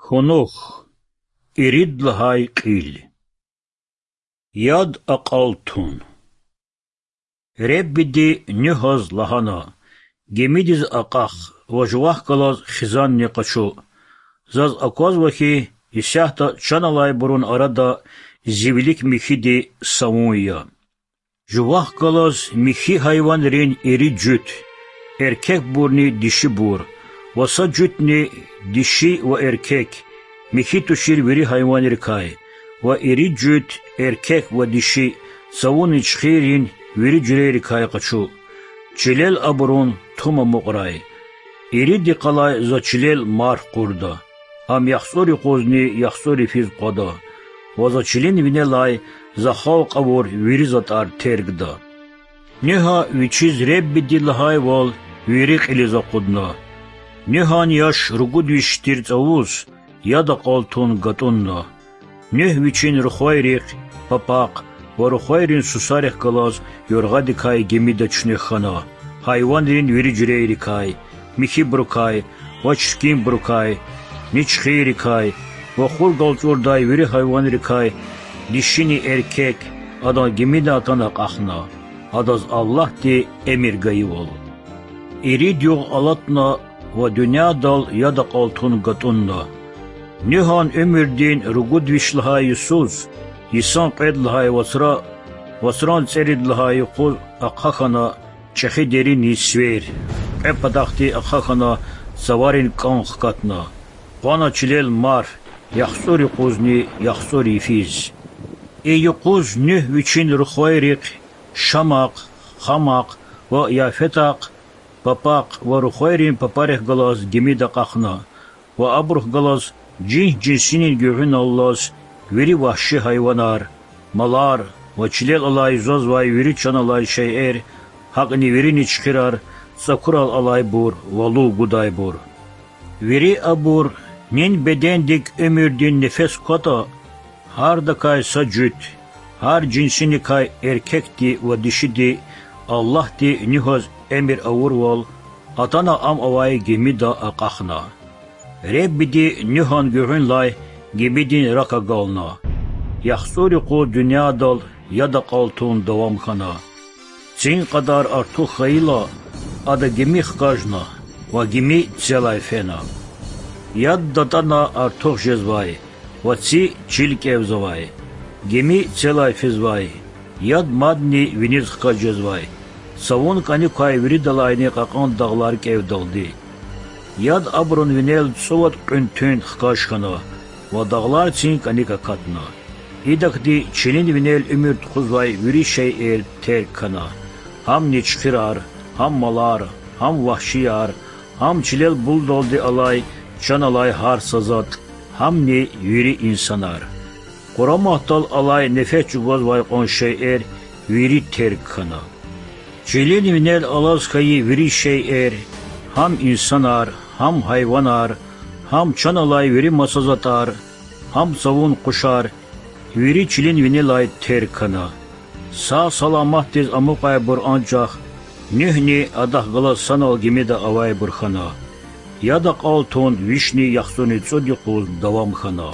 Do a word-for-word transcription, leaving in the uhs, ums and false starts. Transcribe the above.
Кунух. Ирид лагьай кьил. Яд акьалтун. Реббиди Нуьгьаз лагьана: Гимидиз акьах ва жувахъ галаз хизанни къачу. Заз аквазва хьи, исятда чан алайбурун арада зи вилик михьиди савун я. Жувахъ галаз михьи гьайванрин ири жуьт, эркекбурни дишибур, ва са жуьтни, диши ва эркек, михьи тушир вири гьайванрикай, ва ири жуьт, эркек ва диши, цавун ничхиррин вири жуьрейрикай къачу. Чилел абурун тум амукьрай. Ирид йикъалай За чилел марф къурда, ам яхцӀур юкъузни яхцӀур йифиз къвада, ва За чилин винелай За халкь авур вири затӀар тергда. Нуьгьа вичиз Реббиди лагьайвал вири кьилиз акъудна. Нуьгьан яш ругуд виш тир цавуз яд акьалтун гатӀунна. Нуьгь вичин рухвайрихъ, папахъ ва рухвайрин сусарихъ галаз юргъадикай гимида чуьнуьх хьана, гьайванрин вири жуьрейрикай, михьибурукай ва чиркинбурукай, ничхиррикай ва хур галчӀурдай вири гьайванрикай, дишини эркек, адан гимидан атана акьахна, адаз Аллагьди эмир гайивал. Ирид югъ алатна ва дуьньядал яд акьалтун гатӀунна. Нуьгьан уьмуьрдин ругуд виш лагьай йисуз, йисан кьвед лагьай вацра, вацран цӀерид лагьай юкъуз ахъа хьана чӀехи деринин свер, кьве патахъди ахъа хьана цаварин кӀан хкатна. Къвана чилел марф, яхцӀур юкъузни яхцӀур йифиз. И юкъуз Нуьгь вичин рухвайрихъ, Шамахъ, Хамахъ ва Яфетахъ, папахъ ва рухвайрин папарихъ галаз гимида акьахна, ва абурухъ галаз жинс-жинсинин гуьгъуьналлаз вири вагьши гьайванар, малар ва чилел алай юзазвай вири чан алай шейэр, гьакӀни вири ничхирар, цӀакурал алайбур ва лув гудайбур. Вири абур, нин бедендик уьмуьрдин нефес кватӀа, гьардакай са жуьт, гьар жинсиникай эркекди ва дишиди, Аллагьди Нуьгьаз эмир авурвал, атана ам авай гимида акьахна. Реббиди Нуьгьан гуьгъуьнлай гимидин рак агална. ЯхцӀур юкъуз дуьньядал яд акьалтун давам хьана. Цин кьадар артух хьайила, ада гими хкажна ва гими целай фена. Яд датӀана артух жезвай ва ци чил кӀевзавай. Гими целай физвай, яд мадни виниз хкаж жезвай, цавун кӀаник квай виридалайни кьакьан дагълар кӀевдалди. Яд абурун винел цӀувад кьуьн туьнт хкаж хьана ва дагълар цин кӀаник акатна. Идакди чилин винел уьмуьр тухузвай вири шейэр терг хьана: гьам ничхирар, гьам малар, гьам вагьшияр, гьам чилел булдалди алай, чан алай гьар са затӀ, гьамни вири инсанар. Къураматдал алай нефес чӀугвазвай кьван шейэр вири терг хьана. Чилин винел алаз хьайи вири шейэр, гьам инсанар, гьам гьайванар, гьам чан алай вири маса затӀар, гьам цавун къушар, вири чилин винелай терг хьана. Сагъ-саламатдиз амукьайбур анжах Нуьгьни адахъ галаз санал гимида авайбур хьана. Яд акьалтун вишни яхцӀурни цӀуд юкъуз давам хьана.